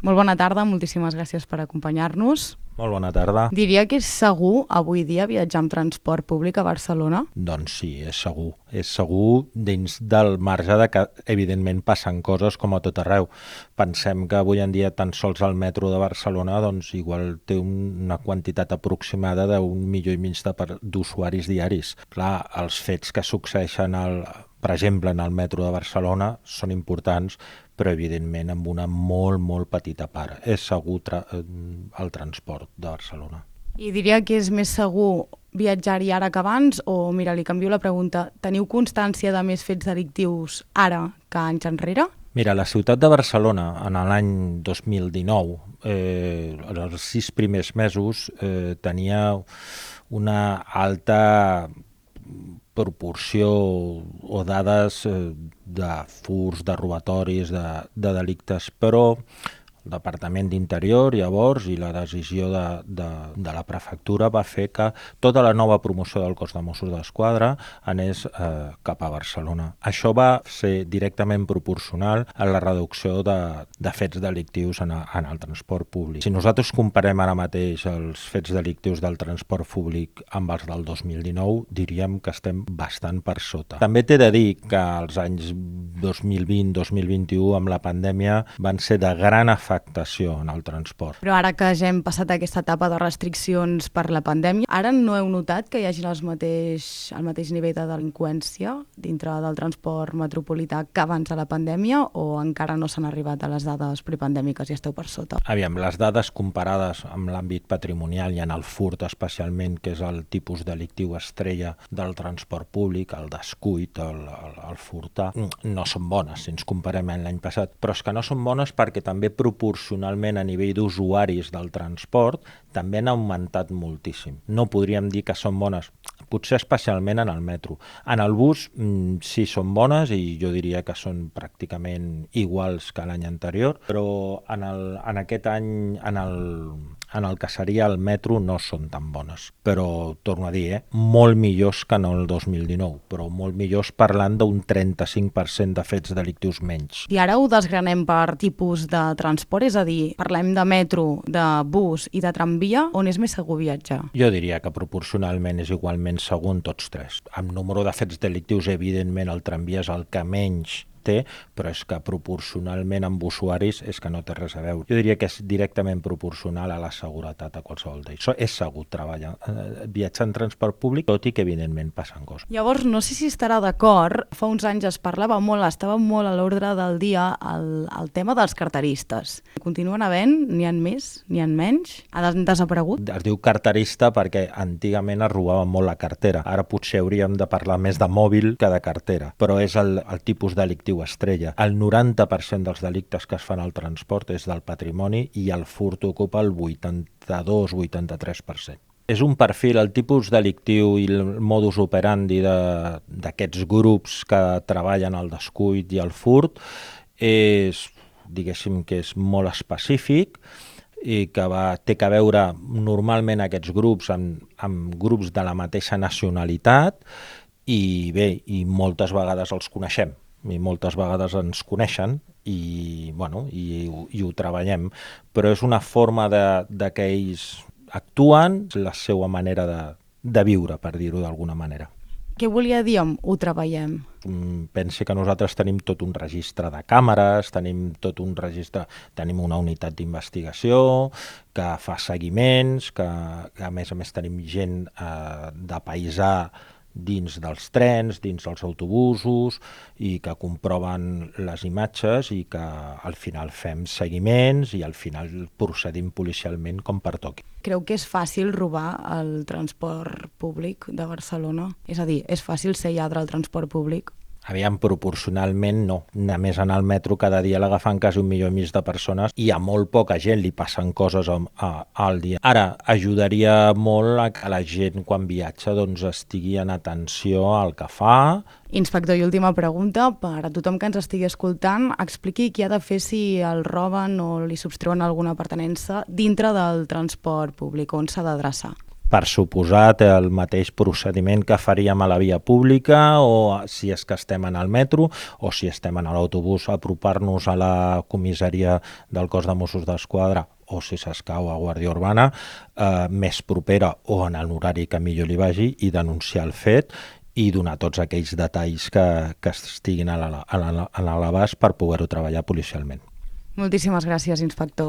Molt bona tarda, moltíssimes gràcies per acompanyar-nos. Molt bona tarda. Diria que és segur avui dia viatjar amb transport públic a Barcelona? Doncs sí, és segur. És segur dins del marge de que, evidentment, passen coses com a tot arreu. Pensem que avui en dia tan sols el metro de Barcelona doncs, igual té una quantitat aproximada d'1,5 milió d'usuaris diaris. Clar, els fets que succeeixen per exemple, en el metro de Barcelona són importants, però evidentment amb una molt petita part. És segur el transport de Barcelona. I diria que és més segur viatjar-hi ara que abans o, mira, li canvio la pregunta, teniu constància de més fets delictius ara que anys enrere? Mira, la ciutat de Barcelona, en l'any 2019, en els 6 primers mesos, tenia una alta proporció o dades de furts, de robatoris, de delictes, però el Departament d'Interior llavors i la decisió de la prefectura va fer que tota la nova promoció del cos de Mossos d'Esquadra anés cap a Barcelona. Això va ser directament proporcional a la reducció de fets delictius en el transport públic. Si nosaltres comparem ara mateix els fets delictius del transport públic amb els del 2019, diríem que estem bastant per sota. També t'he de dir que els anys 2020-2021 amb la pandèmia van ser de gran afectació en el transport. Però ara que ja hem passat aquesta etapa de restriccions per la pandèmia, ara no heu notat que hi hagi el mateix nivell de delinqüència dintre del transport metropolità que abans de la pandèmia o encara no s'han arribat a les dades prepandèmiques i esteu per sota? Aviam, les dades comparades amb l'àmbit patrimonial i en el furt especialment, que és el tipus delictiu estrella del transport públic, el descuit, el furtar, no són bones si ens comparem amb l'any passat, però és que no són bones perquè també proporcionalment a nivell d'usuaris del transport també han augmentat moltíssim. No podríem dir que són bones, potser especialment en el metro. En el bus sí són bones i jo diria que són pràcticament iguals que l'any anterior, però en aquest any, en el que seria el metro no són tan bones. Però, torno a dir, molt millors que no el 2019, però molt millors parlant d'un 35% de fets delictius menys. I ara ho desgranem per tipus de transport, és a dir, parlem de metro, de bus i de tramvia, on és més segur viatjar? Jo diria que proporcionalment és igualment segur en tots tres. Amb número de fets delictius, evidentment, el tramvia és el que menys té, però és que proporcionalment amb usuaris és que no té res a veure. Jo diria que és directament proporcional a la seguretat a qualsevol d'ells. És segur viatjar en transport públic, tot i que evidentment passen coses. Llavors, no sé si estarà d'acord, fa uns anys es parlava molt, estava molt a l'ordre del dia el tema dels carteristes. Continuen havent? N'hi ha més? N'hi ha menys? Ha desaparegut? Es diu carterista perquè antigament es robava molt la cartera. Ara potser hauríem de parlar més de mòbil que de cartera, però és el tipus delictiu estrella. El 90% dels delictes que es fan al transport és del patrimoni i el furt ocupa el 82-83%. És un perfil, el tipus delictiu i el modus operandi d'aquests grups que treballen al descuit i al furt diguéssim que és molt específic i que té a veure normalment aquests grups amb grups de la mateixa nacionalitat i bé, i moltes vegades els coneixem. I moltes vegades ens coneixen i ho treballem, però és una forma que ells actuen, la seva manera de viure, per dir-ho d'alguna manera. Què volia dir amb ho treballem? Pensi que nosaltres tenim tot un registre de càmeres, tenim una unitat d'investigació que fa seguiments, que a més tenim gent de paisà dins dels trens, dins dels autobusos i que comproven les imatges i que al final fem seguiments i al final procedim policialment com pertoqui. Creu que és fàcil robar el transport públic de Barcelona? És a dir, és fàcil ser lladre al transport públic? Aviam, proporcionalment no. Només en el metro cada dia l'agafen quasi 1,5 milió de persones i a molt poca gent li passen coses al dia. Ara, ajudaria molt a que la gent quan viatja estigui en atenció al que fa. Inspector, i última pregunta, per a tothom que ens estigui escoltant, expliqui què ha de fer si el roben o li substreuen alguna pertinença dintre del transport públic, on s'ha d'adreçar. per suposat, el mateix procediment que faríem a la via pública, o si és que estem en el metro o si estem en l'autobús, apropar-nos a la comissaria del cos de Mossos d'Esquadra o, si s'escau, a Guàrdia Urbana, més propera o en l'horari que millor li vagi, i denunciar el fet i donar tots aquells detalls que estiguin a l'abast per poder-ho treballar policialment. Moltíssimes gràcies, inspector.